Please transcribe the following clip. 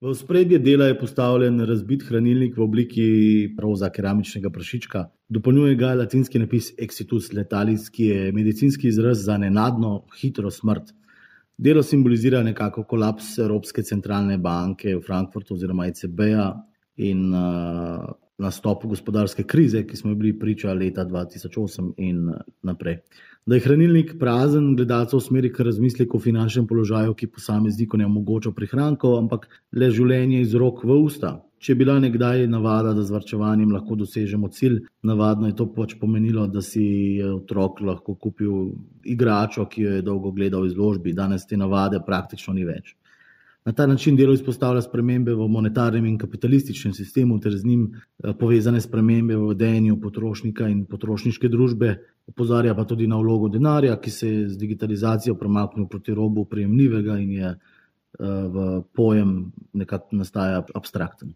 V ospredje dela je postavljen razbit hranilnik v obliki roza keramičnega prašička. Dopolnjuje ga latinski napis Exitus letalis, ki je medicinski izraz za nenadno, hitro smrt. Delo simbolizira nekako kolaps Evropske centralne banke v Frankfurtu oziroma ECB-ja in nastop gospodarske krize, ki smo bili priča leta 2008 in naprej. Da je hranilnik prazen, gledalca usmeri k razmisleku o finančnem položaju, ki posamezniku ne omogoča prihrankov, ampak le življenje iz rok v usta. Če je bila nekdaj navada, da z varčevanjem lahko dosežemo cilj, navadno je to pač pomenilo, da si je otrok lahko kupil igračo, ki jo je dolgo gledal v izložbi. Danes te navade praktično ni več. Na ta način delo izpostavlja spremembe v monetarnem in kapitalističnem sistemu ter z njim povezane spremembe v vedenju potrošnika in potrošniške družbe. Opozarja pa tudi na vlogo denarja, ki se je z digitalizacijo premaknil proti robu prejemljivega in je v pojem nekako nastaja abstrakten.